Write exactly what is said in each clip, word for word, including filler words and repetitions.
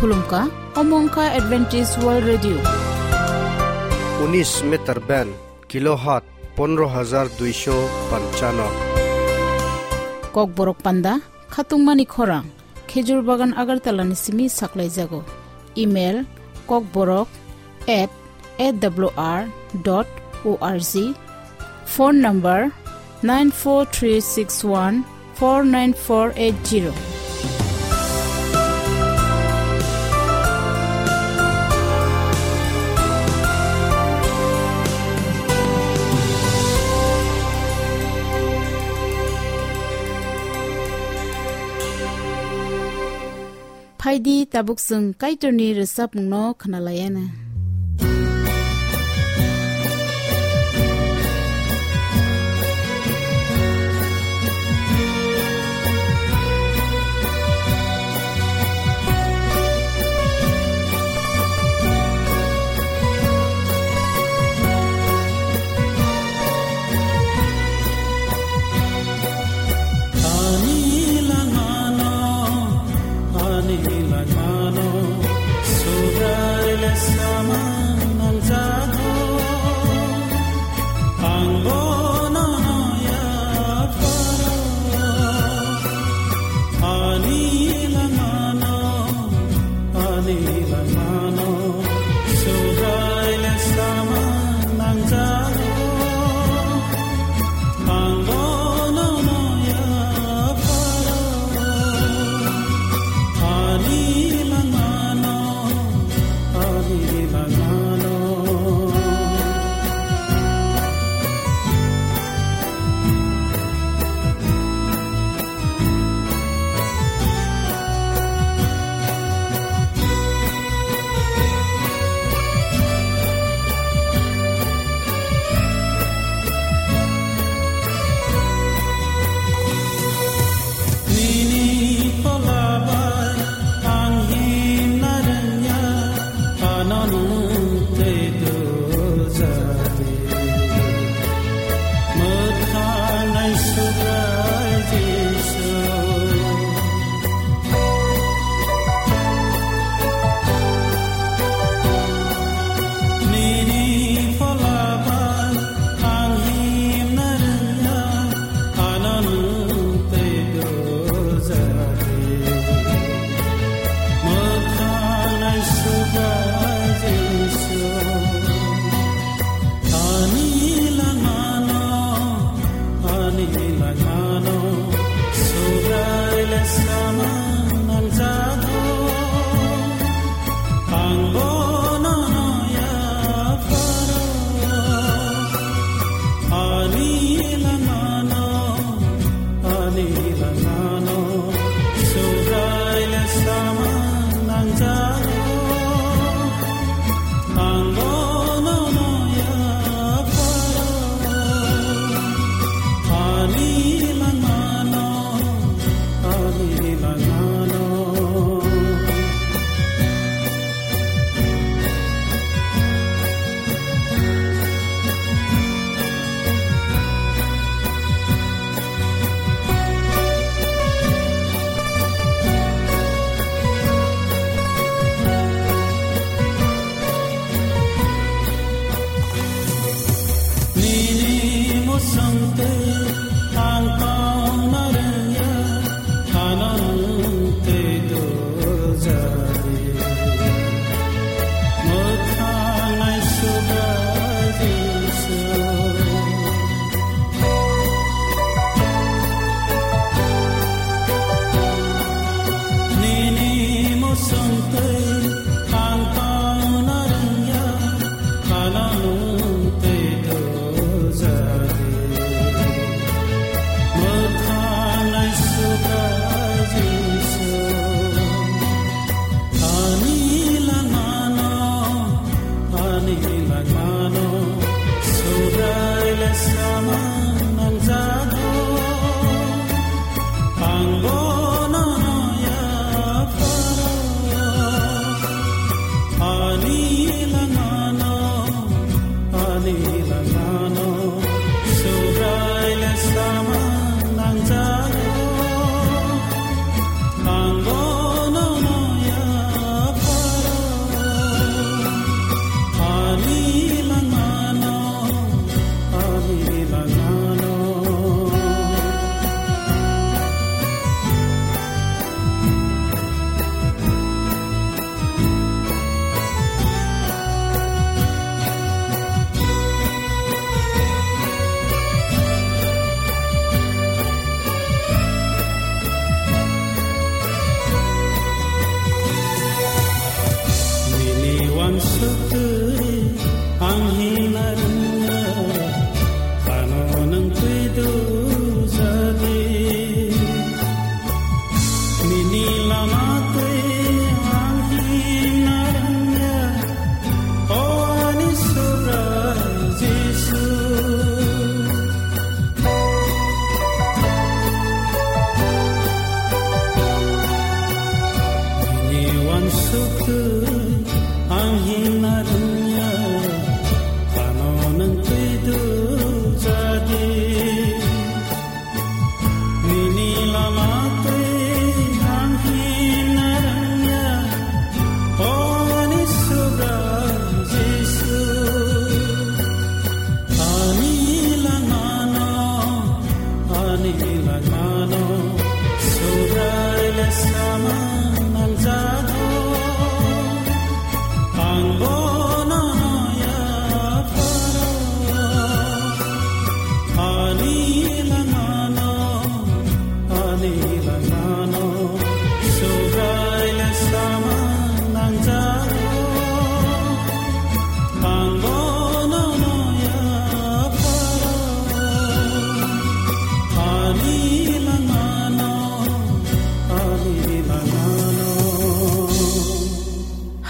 Khulumkha, omo wngkha Adventist World Radio. Unis meter band, kilohertz pondro hajar duisho panchano. Kokborok panda, khatungmani khorang, Khejur Bagan Agartala ni simi saklaijago. Email, kokborok at A W R dot O R G. Phone number nine four three six one four nine four eight zero. Phaidi tabuk chwng Kaitorni rwchapmungno khwnalaiana. Ani langmano, ani langmano, Subraile samang nangjago. Ang bono yapharo, ani langmano, ani langmano, Subraile samang nangjago. Ang bono yapharo, ani langmano, ani langmano. Suktu ang hina rwngya, ano nang twi du jadi. Nini lama twi ang hina rwngya, o ani Subrai Jisu. Ani langmano, ani langmano, Subrai le samang nangjago. Ang bono yapharo, ani langmano, ani langmano, Subrai le samang nangjago. Ang bono yapharo, ani langmano, ani langmano.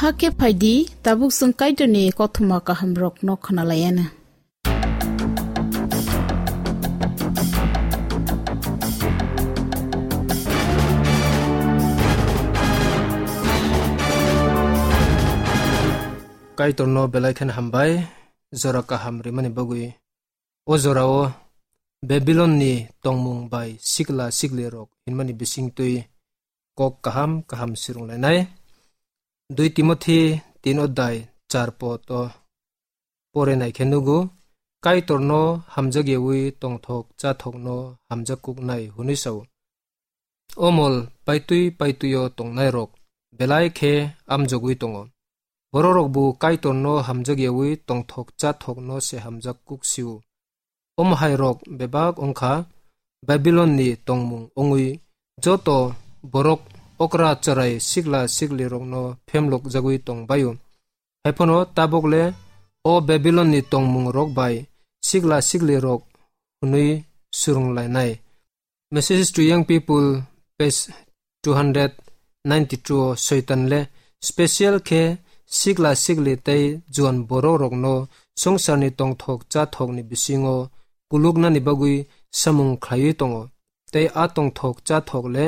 Hakhe phaidi, tabuk chwng Kaitorni kothoma kahamrokno khwnalaianw. Kaitorno belai khen hambai, jora kaham rimani bagwi. O jorao Babilonni tongmung bai sikla siklirok hinmani bisingtwi kok kaham kaham sirwnglainai. Dui Timothi tin odai char pod o pore naikhe nugo, Kaitorno hamjakyawi tongthok chathokno hamjak kuknai hwnwi sao. O mol paitwi paitwio tongnairok belai khe amjogwi tongo. Bororokbo Kaitorno hamjakyawi tongthok chathokno se hamjak kuk sio. Omo hairok bebak wngkha Babilonni tongmung wngwi joto borok okra chwrai sikla siklirokno phemlokjagwi tongbaio. Haiphano tabokle o Babilonni tongmungrok bai sikla siklirok hwnwi swrwnglainai. Message to Young People, page two hundred ninety-two o Soitan le special khe sikla sikli tei juan borok rokno songsarni tongthok chathokni bisingo kuluknani bagwi samung khlaiwi tongo. Tei a tongthok chathok le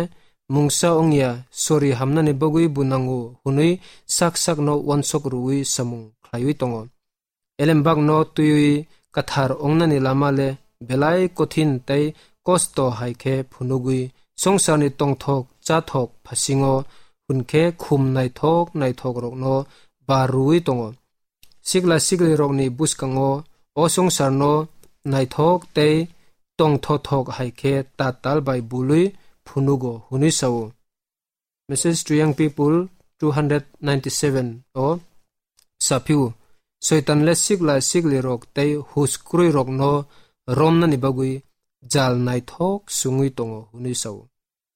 mungsa wngya sori hamnani bagwi bo nango hwnwi sak sakno uansuk rwui samung khlaiwi tongo. Elembakno twiwi kwthar wngnani lama le belai kothin tei kosto hai khe phunugwi songsarni tongthok chathok phasingo hwn khe khum naithok naithokrokno bar rwui tongo. Sikla siklirokni bwskango o songsarno naithok tei tongthothok hai khe tatal bai bului phunugo hwnwi sao. Message to Young People two hundred ninety-seven o saphio, Soitan le sikla siklirok tei hus kwrwirokno romnani bagwi jal naithok sungwi tongo hwnwi sao.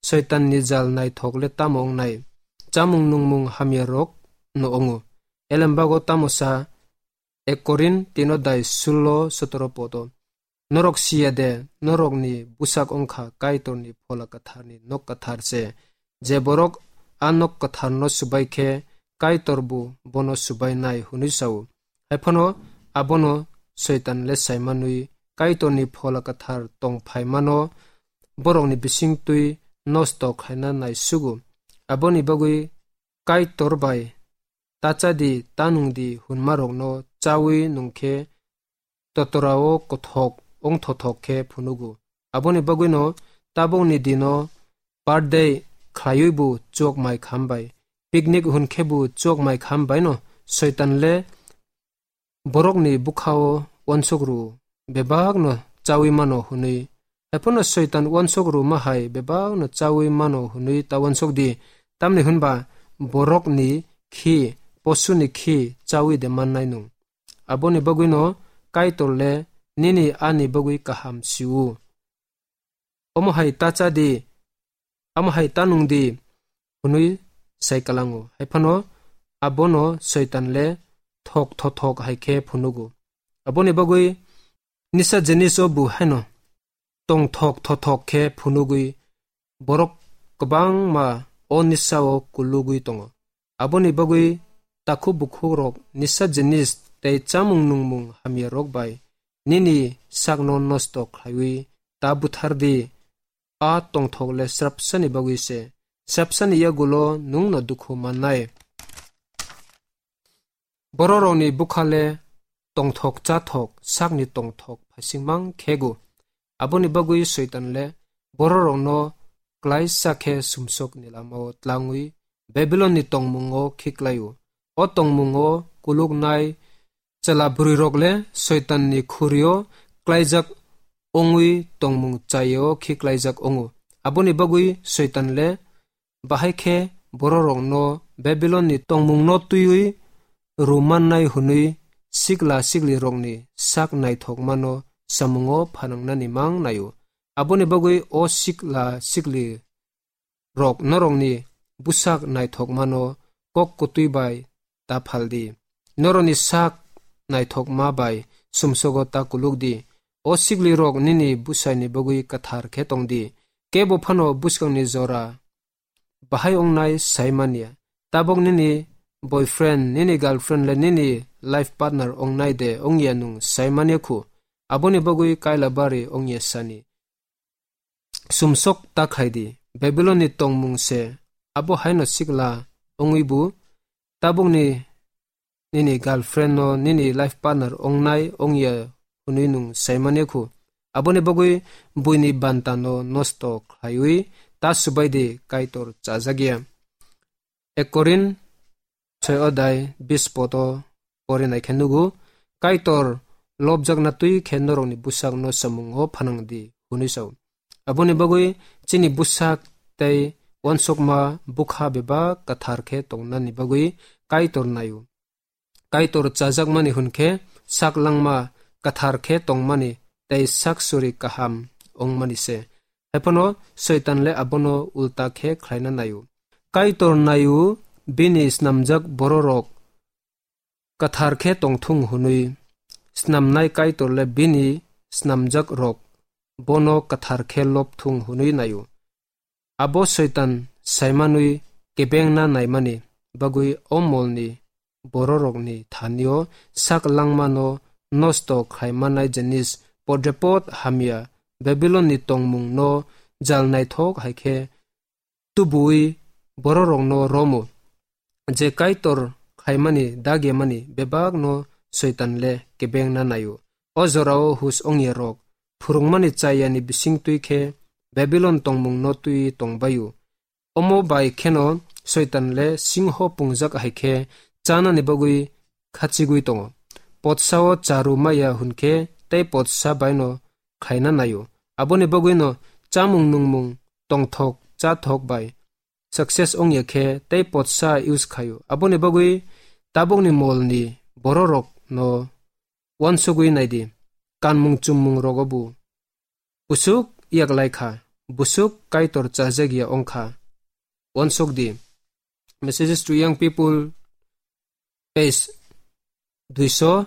Soitanni jal naithok le tamo wngnai? Chamung nungmung hamyarokno wngo. Elembago tamo sa? Ek Korin tino dai sullo sotoro podo. Norok siya de, norokni bwsak wngkha Kaitorni phola kwtharni nok kwthar se. Je borok a nok kwtharno subai khe Kaitorbo bono subai nai hwnwi sao. Haiphano abono Soitan le saimanwi Kaitorni phola kwthar tong phaimano borokni bisingtwi nosto khlaina nai sugo. Aboni bagwi Kaitor bai ta cha di, ta nung di hwnmarokno chaui nung khe totorao kothok wngthothok khe phunugo. Aboni bagwino tabukni dino birthday khlaiwi bo chuak mai kham bai, picnic hwn khe bo chuak mai kham baino Soitan le borokni bwkhao uansuk rw-o, bebakno chaui mano hwnwi. Haiphano Soitan uansuk rwma hai bebakno chaui mano hwnwi ta uansuk di, tamni hwnba borokni khi, posuni khi chaui de mannai nung? Aboni bagwino Kaitor le nini ani bagwi kaham si-o. Omo hai ta cha di, amo hai ta nung di, hwnwi sai kwlango. Haiphano abono Soitan le thok thothok hai khe phunugo. Aboni bagwi nisa jinis o bo haino tong thok thothok khe phunugwi borok kwbangma o nisa o kulugwi tongo. Aboni bagwi takhuk bukhukrok nisa jinis tei chamung nungmung hamyarok bai nini sakno nosto khlaiwi ta buthar di. A tongthok le srapsani bagwi se, srapsani yagulo nwngno dukhu mannai. Bororokni bwkha le tongthok chathok sakni tongthok phaisingmang khego. Aboni bagwi Soitan le bororokno klaisa khe sumsokni lamao tlangwi Babilonni tongmungo khiklaio. O tongmungo kuluknai chwla bwrwirok le Soitanni khurio klaijak wngwi tongmung chayeo khiklaijak wngo. Aboni bagwi Soitan le bahai khe bororokno Babilonni tongmungno twiwi rwmannai hwnwi sikla siklirokni sak naithokmano samungo phanangnani mang naio. Aboni bagwi o sikla siklirok norokni bwsak naithokmano kok kwtwi bai ta phal di. Norokni sak naithokma bai sumsogo ta kuluk di. O siklirok nini bwsaini bagwi kwthar khe tong di. Kebo phano bwskangni jora bahai wngnai sai manya. Tabuk nini boyfriend, nini girlfriend le nini life partner wngnai de wngya nwng sai manya khu. Aboni bagwi kaila bari wngya sani. Sumsok ta khai di. Babilonni tongmung se abo haino sikla wngwi bu tabukni nini girlfriend no nini life partner wngnai wngya hwnwi nwng sai manya khu. Aboni bagwi buini banta no nosto khlaiwi ta subai di, Kaitor chajakya. Ek Korin soi odai bis poto pore nai khe nugo, Kaitor lobjakna twi khe norokni bwsakno samungo phanang di hwnwi sao. Aboni bagwi chini bwsak tei uansukma bwkha bebak kwthar khe tongnani bagwi Kaitor naio. Kaitor chajakmani hwn khe sak langma kwthar khe tongmani tei sak suri kaham wngmani se. Haiphano Soitan le abono ulta khe khlaina naio. Kaitor naio bini snamjak bororok kwthar khe tongthung hwnwi, snamnai Kaitor le bini snamjak rok bono kwthar khe lobthung hwnwi naio. Abo Soitan saimanwi kebengna naimani bagwi o molni bororokni thanio sak langmano nosto khlaimanai jinis podrepot hamya Babilonni tongmungno jal naithok hai khe tubuwi bororokno romo, je Kaitor khaimani dagyamani bebakno Soitan le kebengna naio. O jorao hus ongya rok phwrwngmani chayani bising twi khe Babilon tongmungno twi tongbaio. Omo bai kheno Soitan le singho pungjak hai khe chanani bagwi khachigwi tongo. Potsao charu maya hwn khe tei potsa baino khaina naio. Aboni bagwino chamung nungmung tongthok chathok bai success ongya khe tei potsa use khaio. Aboni bagwi tabukni molni bororokno uansugwi naidi. Kanmung chummung rogo bo busuk yaklai kha, busuk Kaitor chajakya ongkha. Uansuk di. Messages to Young People, page duiso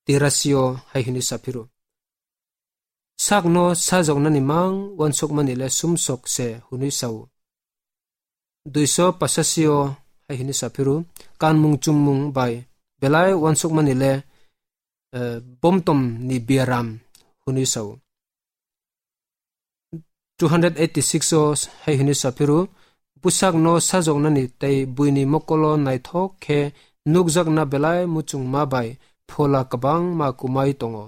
tirasio hai hwnwi saphiru. Sakno sajoknani mang uansukmani le sumsok se hwnwi sao. Duiso pasasio hai hwnwi saphiru. Kanmung chummung bai belai uansukmani le, eh, bomtom ni biaram hwnwi sao. Two hundred eighty-six o hai hwnwi saphiru, bwsakno sajoknani tei buini mokolo naithok khe nukjakna belai muchungma bai phola kwbangma kumai tongo.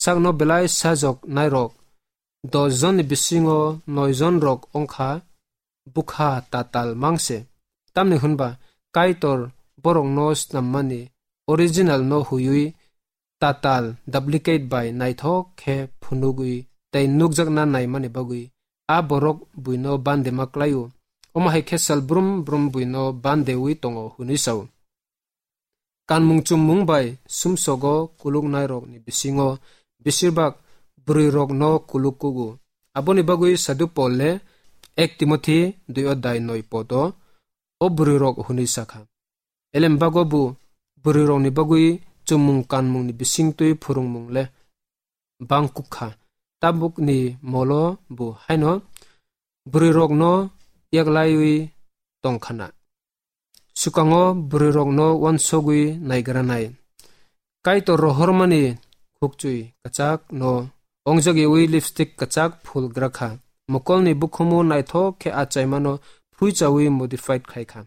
Sakno belai sajok nairok dos jonni bisingo noi jon rok ongkha bwkha tatal mangse. Tamni hwnba Kaitor borokno snammani original no huiwi tatal, duplicate bai naithok khe phunugwi tei nukjakna naimani bagwi a borok buino bandema klaio. Omo hai khe sal brum brum buino bandewi tongo hwnwi sao. Kanmung chummung bai sumsogo kuluknairokni bisingo besirbak bwrwirokno kuluk kugo. Aboni bagwi Sadhu Pol le ek Timothi dui odai noi podo o bwrwirok hwnwi sakha. Elembago bo bwrwirokni bagwi chumung kanmungni bisingtwi phwrwngmung le bangkuk kha. Tabukni molo bo haino bwrwirokno yaklaiwi tongkhana. Swkango bwrwirokno uansugwi naigranai. Kaitor rohormani khukchui kwchakno ongjagwi lipstick kwchak phul grakha. Mokolni bukhumu naithok khe achaimano phuichawi modified khaikha.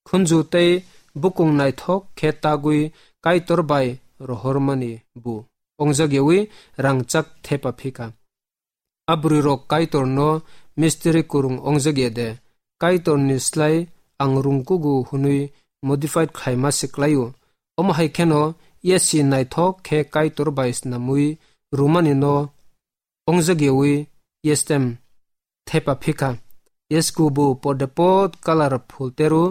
Khunju tei bukung naithok khe tagwi Kaitor bai rohormani bu ongjakyawi rangchak thepa phikha. A bwrwirok Kaitorno mistiri kwrwng ongjakya de? Kaitorni slai ang rwngkugo hwnwi modified khlaima se klaio. Omo hai kheno yasi naithok khe Kaitor bai snamwi rwmani no ongjakyawi yestem thepa phikha. Yesku bo podepot kalar phul teru,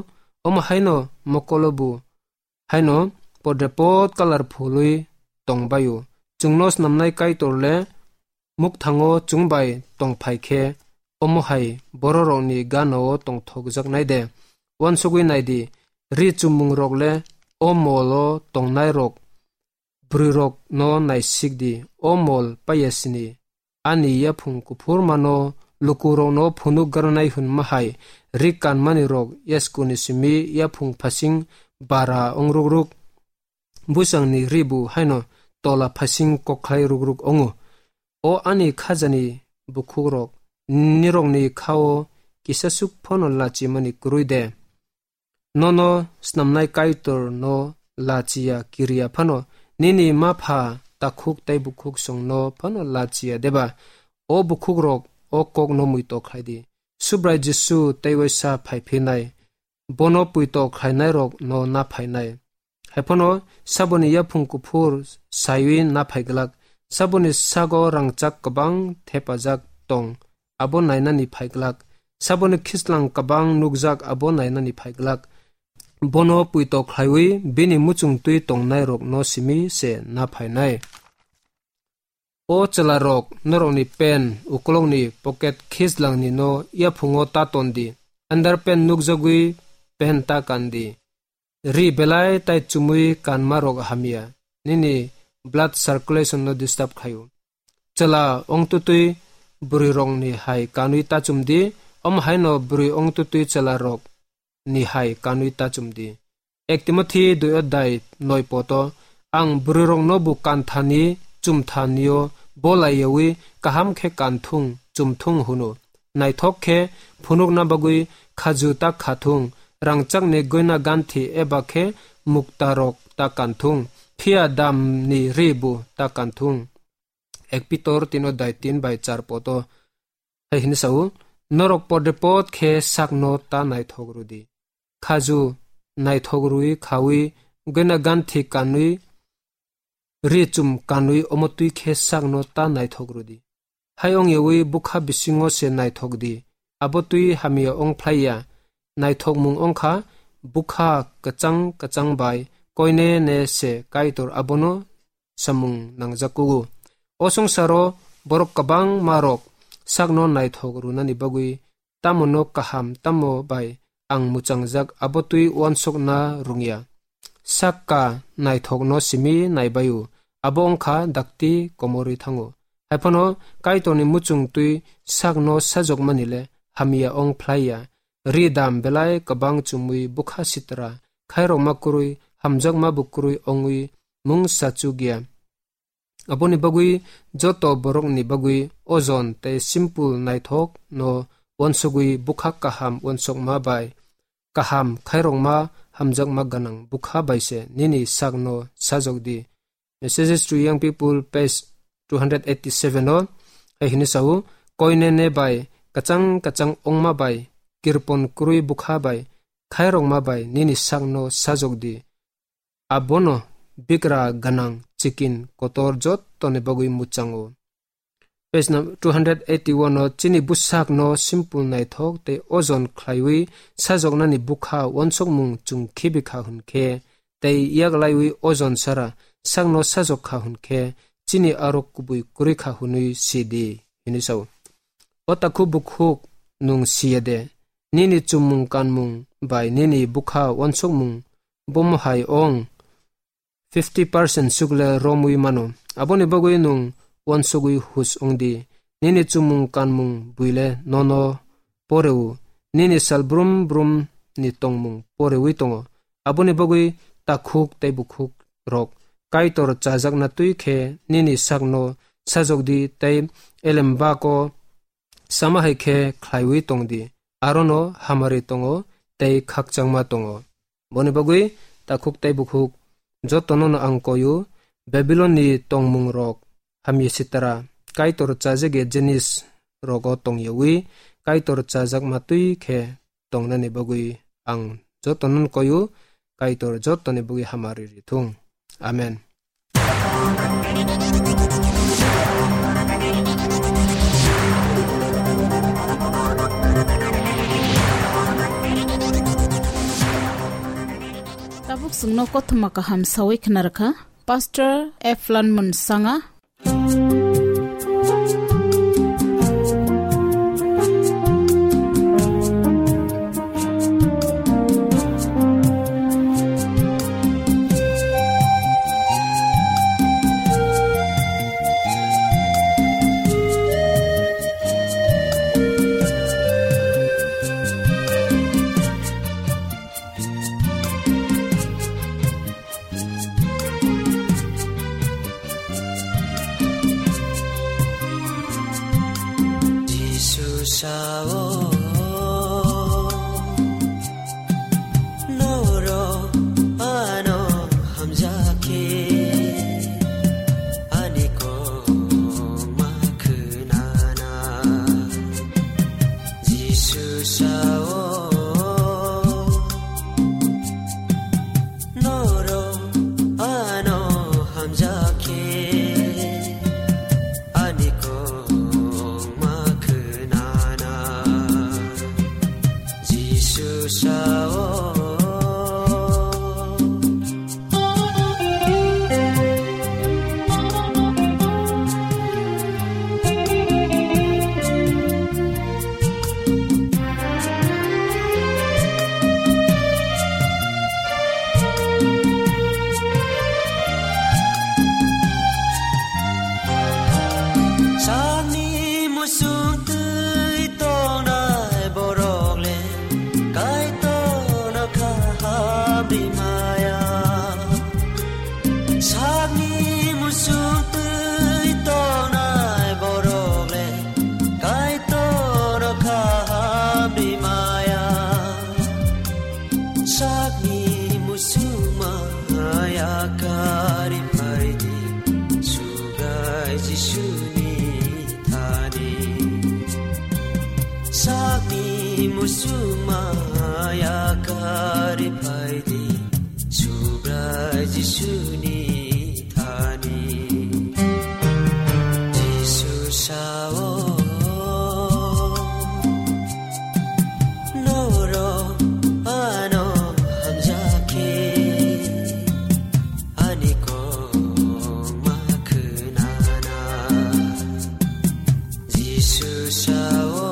omo haino mokolo bo haino podepot kalar phului tongbaio. Chwngno snamnai Kaitor le mukthango chwng bai tongphai khe, omo hai bororokni gana-o tongthokjaknai de? Uansugwi naidi, ri chumung rok le o molo tongnai rok bwrwirokno naisik di, o mol payasini. Ani yaphung kuphur mano lukurokno phunuk garnai hwnma hai ri kanmani rok yaskuni simi yaphung phasing bara ongrukruk, bwsangni ri bu haino tola phasing kokhlai rukruk ongo. O ani khajani bukhukrok, nirokni kha-o kisasuk phano lachimani kwrwi de? Nono snamnai Kaitorno lachiya kiriya phano nini mapha takhuk tei bukhuksongno phano lachiya deba? O bukhukrok, o kokno muitok khlai di. Subrai Jisu tei waisa phai phinai, bono puito khlainairokno na phainai. Hai phano saboni yaphung kuphur saiwi na phai glak, saboni sago rangchak kwbang thepajak tong, abo nainani phai glak, saboni khislang kwbang nukjak, abo nainani phai glak. Bono puito khlaiwi bini muchung twi tongnairokno simi se na phainai. O chwlarok, norokni pen ukolokni poket khislangni no yaphungo ta ton di, underpant nukjagwi pen ta kan di. Ri belai tai chumui kanmarok hamya, nini blood circulation no disturb khlaio. Chwla ongtutwi bwrwirokni hai kanwi ta chum di, omo haino bwrwi ongtutwi chwlarok ni hai kanwi ta chum di. Ek Timothi dui adhyay noi poto, ang bwrwirokno bo kanthani, chumthanio bolaiyawi kaham khe kanthung, chumthung hwno. Naithok khe phunukna bagwi khaju ta khathung, rangchakni goina ganthi eba khe muktarok ta kanthung, phiya damni ri bo ta kanthung. Ek Pitor tin adhyay tin bai char poto hai hini sao, norok podepot khe sakno ta naithok rwdi. Khaju naithok rwi khawi, goina ganthi kanwi, ri chum kanwi, omo twi khe sakno ta naithok rwdi. Hai ongyawi bwkha bisingo se naithok di, abo twi hamya ong phlaiya. Naithokmung ongkha bwkha kwchang kwchang bai koine ne se Kaitor abono samung nangjak kugo. O songsaro borok kwbangma rok sakno naithok rwnani bagwi tamono kaham tamo bai ang mwchangjak abo twi uansukna rwngya. Sakka naithokno simi naibaio, abo wngkha dakti komorwi thango. Haiphano Kaitorni muchung twi sakno sajokmani le hamya ong phlaiya. Ri dam belai kwbang chumui bwkha sitra, khairokma kwrwi, hamjakma bo kwrwi ongwi mung sachukya. Aboni bagwi joto borokni bagwi ojon tei simple naithok no uansugwi bwkha kaham uansukma bai kaham khairokma hamjakma gwnang bwkha bai se nini sakno sajok di. Messages to Young People, page two hundred eighty-seven o hai hini sao, koinene bai kwchang kwchang ongma bai kirpon kwrwi bwkha bai khairokma bai nini sakno sajok di. Abono bigra gwnang chikin kotor jottoni bagwi mwchango. Page no two hundred eighty-one o chini bwsakno simple naithok tei ojon khlaiwi sajoknani bwkha uansukmung chwng khibi kha hwn khe, tei yak laiwi ojon sara sakno sajok kha hwn khe, chini aro kubui kwrwi kha hwnwi si di, hwnwi sao. O takhuk bukhuk nwng si ya de, nini chumung kanmung bai nini bwkha uansukmung bomo hai ong fifty percent sukle romwi mano. Aboni bagwi nwng uansugwi hus wng di. Nini chumung kanmung buile nono poreo. Nini sal brum brum ni tongmung porewi tongo. Aboni bagwi takhuk tei bukhuk rok Kaitor chajakna twi khe nini sakno sajok di tei elembako sama hai khe khlaiwi tong di. Arono hamari tongo tei khakchangma tongo. Boni bagwi takhuk tei bukhuk jotono no ang koyu, Babilon ni tongmung rok hamya sitara, Kaitor chajak ya jinis rogo tongyawi, Kaitor chajak matwi khe tongnani bagwi ang jotono no koyu, Kaitor jotoni bagwi hamari rithung. Amen. Tabuk chwngno kothoma kaham sawi khna rwkha Pastor Eflon Munsanga. Jisu sao, norok ano hamjakhe, ani kok ma khwnana. Jisu sao, norok ano hamjakhe, ani kok ma khwnana. Jisu sao. Sakni musung twi tongnai borok le Kaitorno kaham rimaya. Sakni musung twi tongnai borok le Kaitorno kaham rimaya. Sakni musung maya kari phaidi, Subrai Jisuni thani. Sakni musung maya kari phaidi, Subrai Jisuni thani. Jisu sao, norok ano hamjakhe, ani kok ma khwnana. Jisu sao,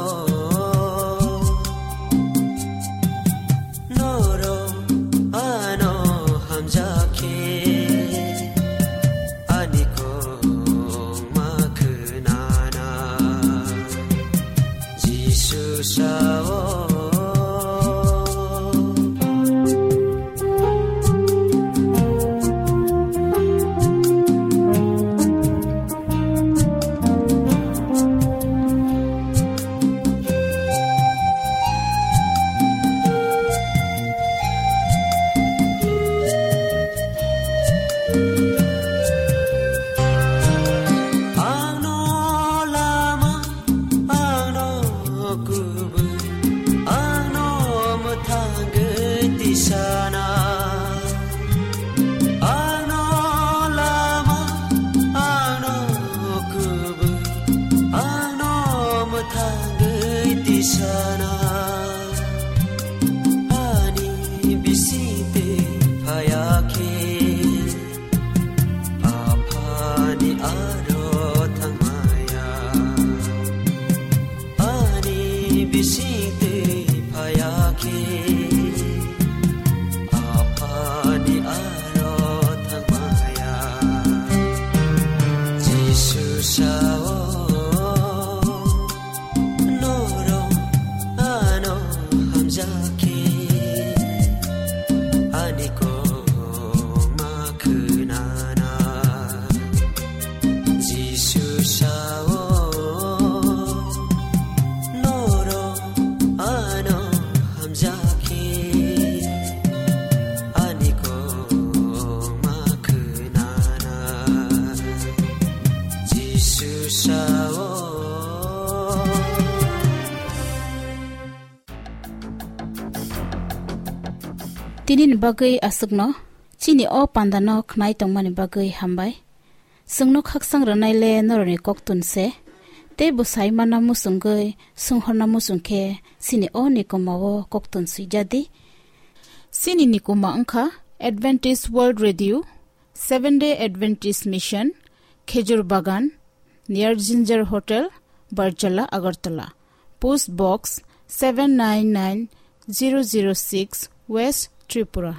norok ano hamjakhe, ani kok ma khwnana. Jisu sao. Angno lama, angno kubui, angno mwthangwi tisana. Angno lama, angno kubui, angno mwthangwi tisana. Ani bisingtwi phayakhe, Aphani aro thangmaya. Ani bisingtwi phayakhe, Aphani aro thangmaya. Jisu sao, norok ano hamjakhe, ani kok ma khwnana. Jisu sao, norok ano hamjakhe, Tinini bagwi aswkno, chini o pandano khnai tongmani bagwi hambai. Chwngno khaksang rwnaile norokni koktun se, tei bwsai mana muchungwi swnghorna muchung khe chini o nikoma o koktun swijadi. Chini nikoma wngkha Adventist World Radio, Seventh Day Adventist Mission, Khejur Bagan, near Ginger Hotel, Barjala, Agartala. Post Box seven nine nine zero zero six, West Tripura.